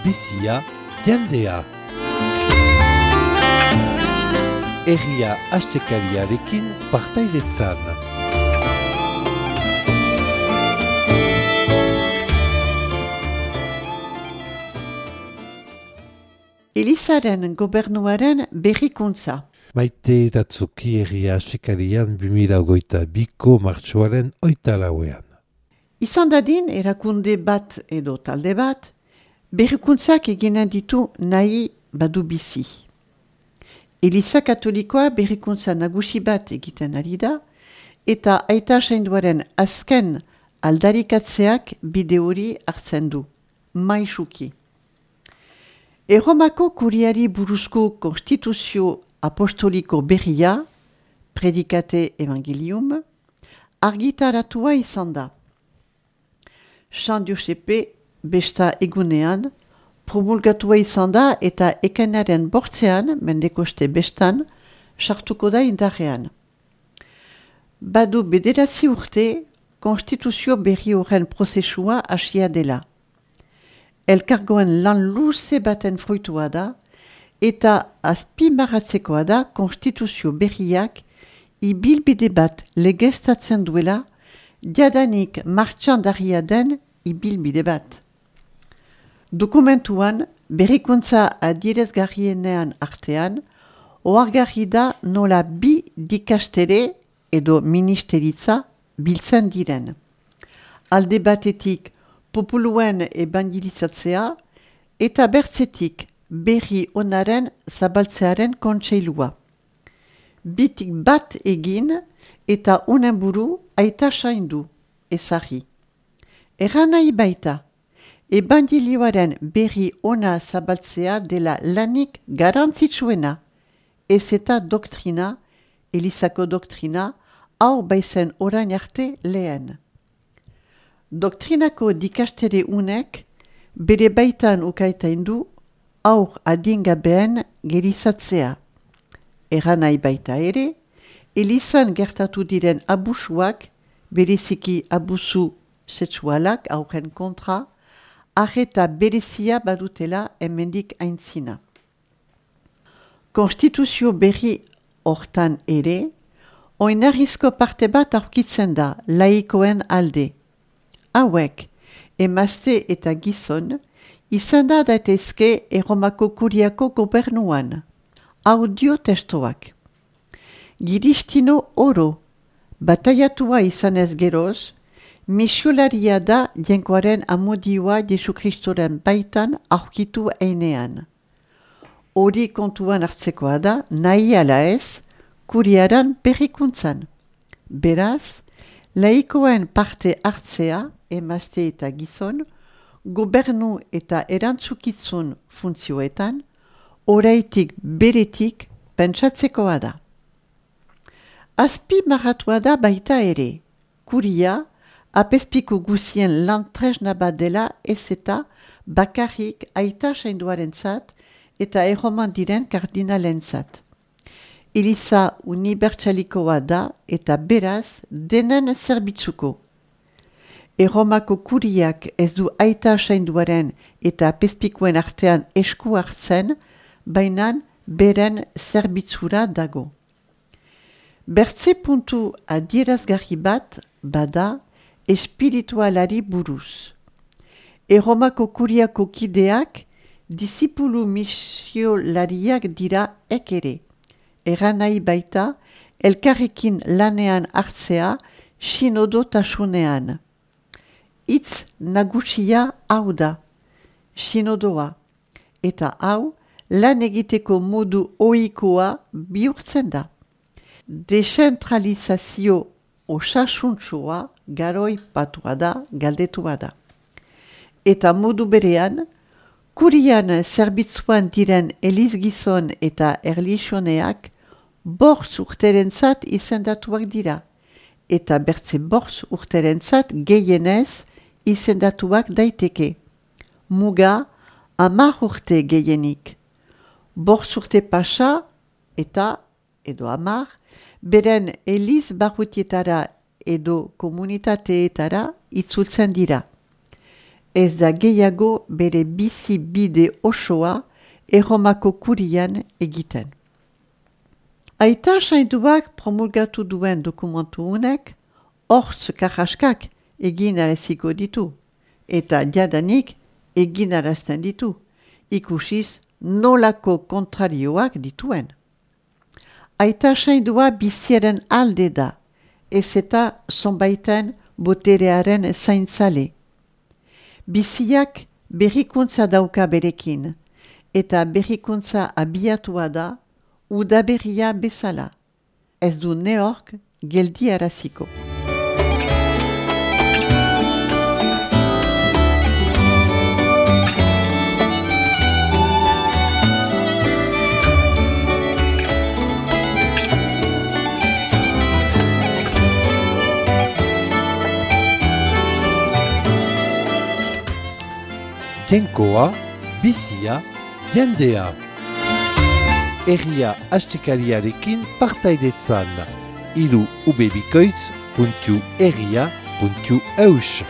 bizia, jendea. Herria astekariarekin partaidetzan. Elizaren gobernuaren berrikuntza. Maite Ratzuki herria astekarian 2022ko martxoaren 8. Izan dadin erakunde bat edo talde bat, berrikuntzak eginen ditu nahi badu bizi. Eliza Katolikoa berrikuntza nagusi bat egiten ari da, eta aita sainduaren azken aldarikatzeak bide hori hartzen du, maisuki. Erromako kuriari buruzko konstituzio apostoliko berria, Predikate Evangelium, argitaratua izan da. San Josepe besta egunean, promulgatua izan da eta ekainaren bortzean, mendekoste bestan, sartuko da indarrean. Badu 9 urte, konstituzio berri horren prozesua hasia dela. Elkargoen lan luze baten fruitua da, eta azpimarratzekoa da konstituzio berriak ibilbide bat legeztatzen duela, jadanik martxandaria den ibilbide bat. Dokumentuan, berrikuntza adierazgarrienean artean, ohargarri da nola bi dikastere edo ministeritza biltzen diren. Alde batetik populuen evangelizatzea eta bertzetik berri onaren zabaltzearen kontseilua. Bitik bat egin eta unen buru aita saindu, ezarri. Erran nahi baita, evangelioaren berri ona zabaltzea dela lanik garantzitsuena, ez eta doktrina, Elizako doktrina, hau baizen orain arte lehen. Doktrinako dikastere unek bere baitan ukaitain du aur adingabeen gerizatzea. Erran nahi baita ere, Elizan gertatu diren abusuak, bereziki abusu sexualak aurren kontra, arreta berezia badutela hemendik aintzina. Konstituzio berri hortan ere, oinarrizko parte bat aurkitzen da laikoen alde. Hauek, emazte eta gizon, izan da daitezke Erromako kuriako gobernuan. Audio testoak. Giristino oro, bataiatua izan ez geroz, misiolaria da jenkoaren amodioa Jesu Kristoren baitan aurkitu einean. Hori kontuan hartzekoa da, nahi ala ez, kuriaran berrikuntzan. Beraz, laikoen parte hartzea, emazte eta gizon, gobernu eta erantzukizun funtzioetan, oraitik beretik pentsatzekoa da. Azpimarratua da baita ere, kuria, apezpiku guzien lan tresna bat dela ez eta bakarrik aita sainduarentzat eta erroman diren kardinalentzat. Eliza unibertsalikoa da eta beraz denen zerbitzuko. Erromako kuriak ez du aita sainduaren eta apezpikuen artean esku hartzen, bainan beren zerbitzura dago. Bertze puntu adierazgarri bat bada espiritualari buruz. Erromako kuriako kideak disipulu misiolariak dira ekere. Erran nahi baita elkarrekin lanean hartzea sinodotasunean. Hitz nagusia hau da, sinodoa, eta hau lan egiteko modu ohikoa bihurtzen da. Dezentralizazio osasuntxoa garoi patua da, galdetua da. Eta modu berean, kurian zerbitzuan diren elizgizon eta erlixoneak 5 urterentzat izendatuak dira, eta bertze 5 urterentzat gehienez izendatuak daiteke. Muga 10 urte gehienik. 5 urte pasa eta, edo 10, beren eliz barrutietara edo komunitateetara itzultzen dira. ez da gehiago bere bizi bide osoa Erromako kurian egiten. Aita sainduak promulgatu duen dokumentu honek, hortz karraskak egin araziko ditu, eta jadanik egin arazten ditu, ikusiz nolako kontrarioak dituen. Aita saindua biziaren alde da, ez eta zonbaiten boterearen zaintzale. Biziak berrikuntza dauka berekin, eta berrikuntza abiatua da udaberria bezala. Ez du neork geldi araziko. Jainkoa, bizia, jendea. Herria astekariarekin partaidetzan. ubebikoitz.herria.eus